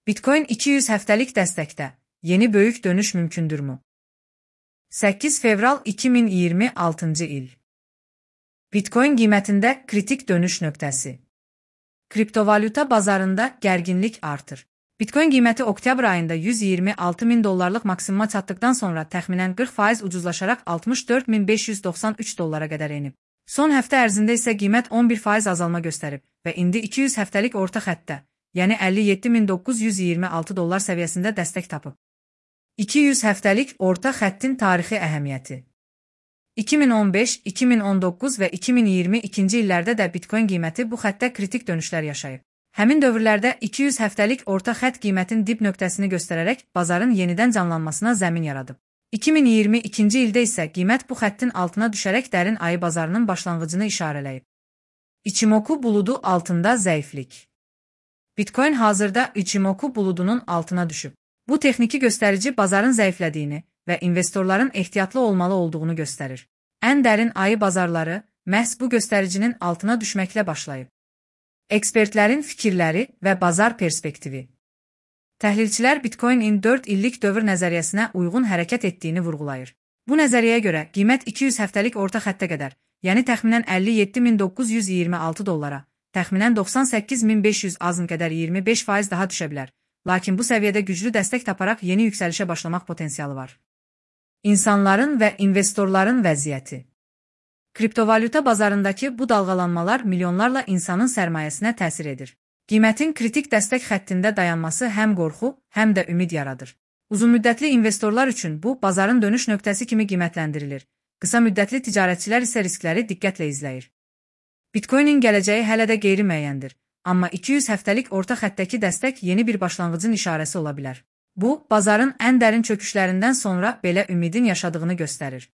Bitcoin 200 həftəlik dəstəkdə yeni böyük dönüş mümkündürmü? 8 fevral 2026 il. Bitcoin qiymətində kritik dönüş nöqtəsi. Kriptovalyuta bazarında gərginlik artır. Bitcoin qiyməti oktyabr ayında 126 min dollarlıq maksimuma çatdıqdan sonra təxminən 40% ucuzlaşaraq 64.593 dollara qədər enib. Son həftə ərzində isə qiymət 11% azalma göstərib və indi 200 həftəlik orta xəttdə, yəni 57.926 dollar səviyyəsində dəstək tapıb. 200 həftəlik orta xəttin tarixi əhəmiyyəti. 2015, 2019 və 2022-ci illərdə də Bitcoin qiyməti bu xəttdə kritik dönüşlər yaşayıb. Həmin dövrlərdə 200 həftəlik orta xətt qiymətin dip nöqtəsini göstərərək bazarın yenidən canlanmasına zəmin yaradıb. 2022-ci ildə isə qiymət bu xəttin altına düşərək dərin ayı bazarının başlanğıcını işarələyib. Ichimoku buludu altında zəiflik. Bitcoin hazırda Ichimoku buludunun altına düşüb. Bu texniki göstərici bazarın zəiflədiyini və investorların ehtiyatlı olmalı olduğunu göstərir. Ən dərin ayı bazarları məhz bu göstəricinin altına düşməklə başlayıb. Ekspertlərin fikirləri və bazar perspektivi. Təhlilçilər Bitcoin-in 4 illik dövr nəzəriyyəsinə uyğun hərəkət etdiyini vurğulayır. Bu nəzəriyyəyə görə qiymət 200 həftəlik orta xəttə qədər, yəni təxminən 57.926 dollara, təxminən 98.500 azın qədər 25% daha düşə bilər. Lakin bu səviyyədə güclü dəstək taparaq yeni yüksəlişə başlamaq potensialı var. İnsanların və investorların vəziyyəti. Kriptovalyuta bazarındakı bu dalğalanmalar milyonlarla insanın sərmayəsinə təsir edir. Qiymətin kritik dəstək xəttində dayanması həm qorxu, həm də ümid yaradır. Uzunmüddətli investorlar üçün bu, bazarın dönüş nöqtəsi kimi qiymətləndirilir. Qısa müddətli ticarətçilər isə riskləri diqqətlə izləyir. Bitcoin-in gələcəyi hələ də qeyri-müəyyəndir. Amma 200 həftəlik orta xəttdəki dəstək yeni bir başlanğıcın işarəsi ola bilər. Bu, bazarın ən dərin çöküşlərindən sonra belə ümidin yaşadığını göstərir.